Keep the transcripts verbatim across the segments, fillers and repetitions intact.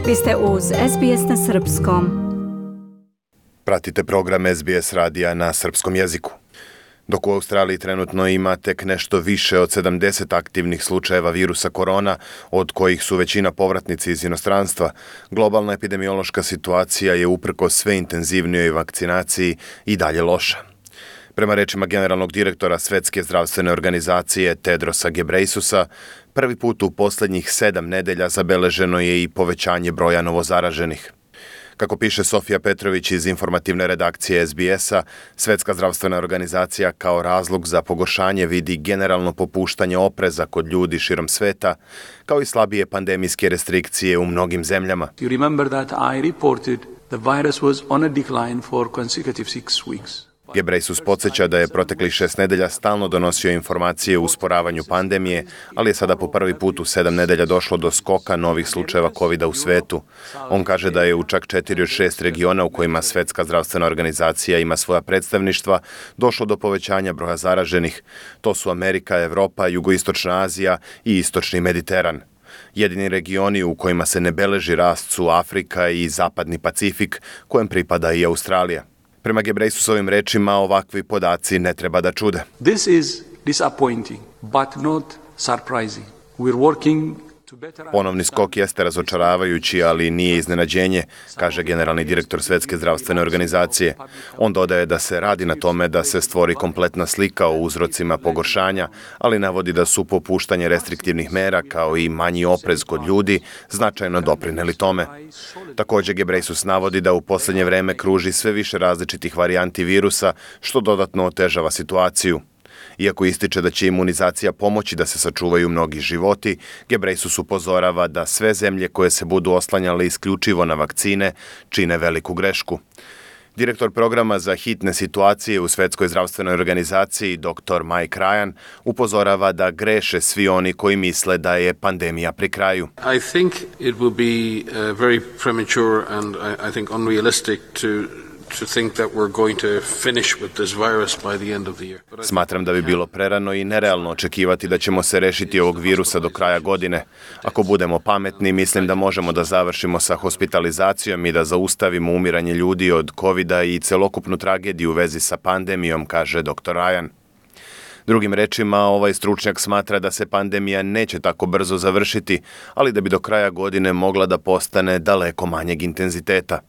Vi ste uz S B S na srpskom. Pratite program S B S radija na srpskom jeziku. Dok u Australiji trenutno ima tek nešto više od sedamdeset aktivnih slučajeva virusa korona, od kojih su većina povratnici iz inostranstva, globalna epidemiološka situacija je uprkos sve intenzivnijoj vakcinaciji i dalje loša. Prema rečima generalnog direktora Svetske zdravstvene organizacije Tedrosa Ghebreyesusa, prvi put u posljednjih sedam nedelja zabeleženo je i povećanje broja novozaraženih. Kako piše Sofija Petrović iz informativne redakcije S B S-a, Svetska zdravstvena organizacija kao razlog za pogoršanje vidi generalno popuštanje opreza kod ljudi širom sveta, kao i slabije pandemijske restrikcije u mnogim zemljama. You remember that I reported the virus was on a decline for consecutive six weeks. Ghebreyesus podsjeća da je proteklih šest nedelja stalno donosio informacije o usporavanju pandemije, ali je sada po prvi put u sedam nedelja došlo do skoka novih slučajeva kovida u svetu. On kaže da je u čak četiri od šest regiona u kojima Svetska zdravstvena organizacija ima svoja predstavništva došlo do povećanja broja zaraženih. To su Amerika, Evropa, Jugoistočna Azija i Istočni Mediteran. Jedini regioni u kojima se ne beleži rast su Afrika i Zapadni Pacifik, kojem pripada i Australija. Prema Ghebreyesusovim rečima, ovakvi podaci ne treba da čude. This is disappointing, but not surprising. We're working to better... Ponovni skok jeste razočaravajući, ali nije iznenađenje, kaže generalni direktor Svetske zdravstvene organizacije. On dodaje da se radi na tome da se stvori kompletna slika o uzrocima pogoršanja, ali navodi da su popuštanje restriktivnih mera kao i manji oprez kod ljudi značajno doprineli tome. Također Ghebreyesus navodi da u posljednje vreme kruži sve više različitih varijanti virusa, što dodatno otežava situaciju. Iako ističe da će imunizacija pomoći da se sačuvaju mnogi životi, Ghebreyesus upozorava da sve zemlje koje se budu oslanjale isključivo na vakcine čine veliku grešku. Direktor programa za hitne situacije u Svetskoj zdravstvenoj organizaciji, doktor Mike Ryan, upozorava da greše svi oni koji misle da je pandemija pri kraju. I think it will be uh, very premature and I, I think unrealistic to to think that we're going to finish with this virus by the end of the year. Smatram da bi bilo prerano i nerealno očekivati da ćemo se rešiti ovog virusa do kraja godine. Ako budemo pametni, mislim da možemo da završimo sa hospitalizacijom i da zaustavimo umiranje ljudi od kovida i celokupnu tragediju u vezi sa pandemijom, kaže doktor Ryan. Drugim rečima, ovaj stručnjak smatra da se pandemija neće tako brzo završiti, ali da bi do kraja godine mogla da postane daleko manjeg intenziteta.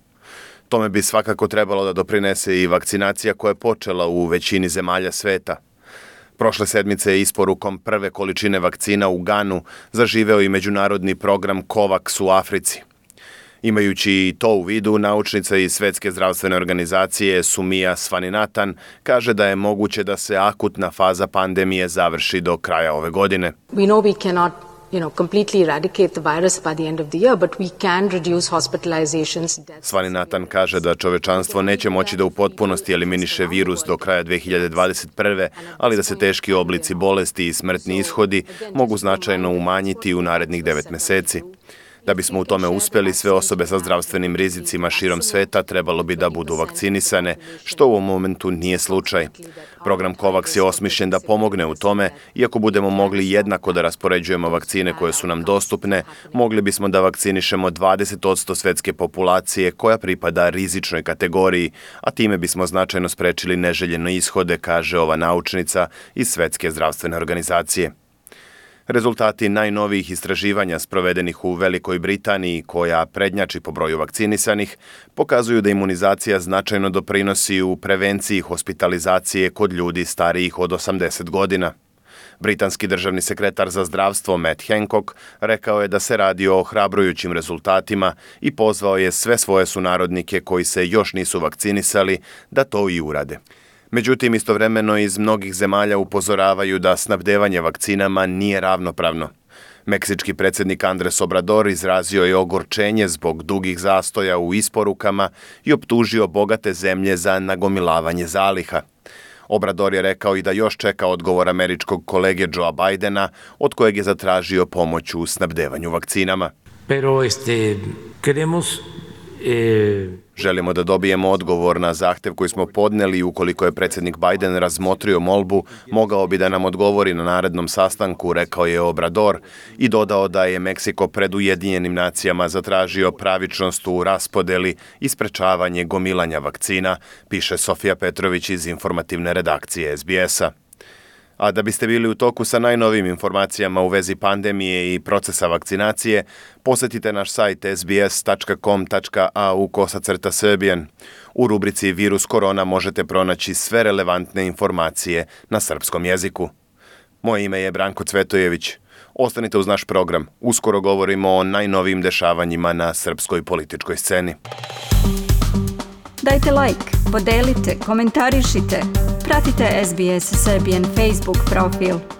Tome bi svakako trebalo da doprinese i vakcinacija koja je počela u većini zemalja sveta. Prošle sedmice je isporukom prve količine vakcina u Ganu zaživeo i međunarodni program COVAX u Africi. Imajući i to u vidu, naučnica iz Svetske zdravstvene organizacije Sumia Swaminathan kaže da je moguće da se akutna faza pandemije završi do kraja ove godine. We know we cannot you know, completely eradicate the virus by the end of the year, but we can reduce hospitalizations. Swaminathan kaže da čovečanstvo neće moći da u potpunosti eliminiše virus do kraja dve hiljade dvadeset prve, ali da se teški oblici bolesti i smrtni ishodi mogu značajno umanjiti u narednih devet meseci. Da bismo u tome uspjeli, sve osobe sa zdravstvenim rizicima širom sveta trebalo bi da budu vakcinisane, što u ovom momentu nije slučaj. Program COVAX je osmišljen da pomogne u tome, iako budemo mogli jednako da raspoređujemo vakcine koje su nam dostupne, mogli bismo da vakcinišemo dvadeset posto svetske populacije koja pripada rizičnoj kategoriji, a time bismo značajno sprečili neželjene ishode, kaže ova naučnica iz Svetske zdravstvene organizacije. Rezultati najnovijih istraživanja sprovedenih u Velikoj Britaniji, koja prednjači po broju vakcinisanih, pokazuju da imunizacija značajno doprinosi u prevenciji hospitalizacije kod ljudi starijih od osamdeset godina. Britanski državni sekretar za zdravstvo Matt Hancock rekao je da se radi o ohrabrujućim rezultatima i pozvao je sve svoje sunarodnike koji se još nisu vakcinisali da to i urade. Međutim, istovremeno iz mnogih zemalja upozoravaju da snabdevanje vakcinama nije ravnopravno. Meksički predsjednik Andres Obrador izrazio je ogorčenje zbog dugih zastoja u isporukama i optužio bogate zemlje za nagomilavanje zaliha. Obrador je rekao i da još čeka odgovor američkog kolege Joea Bidena, od kojeg je zatražio pomoć u snabdevanju vakcinama. Pero este, queremos Želimo da dobijemo odgovor na zahtev koji smo podneli i ukoliko je predsjednik Biden razmotrio molbu, mogao bi da nam odgovori na narednom sastanku, rekao je Obrador i dodao da je Meksiko pred Ujedinjenim nacijama zatražio pravičnost u raspodeli i sprečavanje gomilanja vakcina, piše Sofija Petrović iz informativne redakcije S B S-a. A da biste bili u toku sa najnovim informacijama u vezi pandemije i procesa vakcinacije, posjetite naš sajt s b s tačka com tačka a u kosacrta Serbian. U rubrici Virus korona možete pronaći sve relevantne informacije na srpskom jeziku. Moje ime je Branko Cvetojević. Ostanite uz naš program. Uskoro govorimo o najnovijim dešavanjima na srpskoj političkoj sceni. Dajte like, podelite, komentarišite. Pratite S B S Serbian Facebook profil.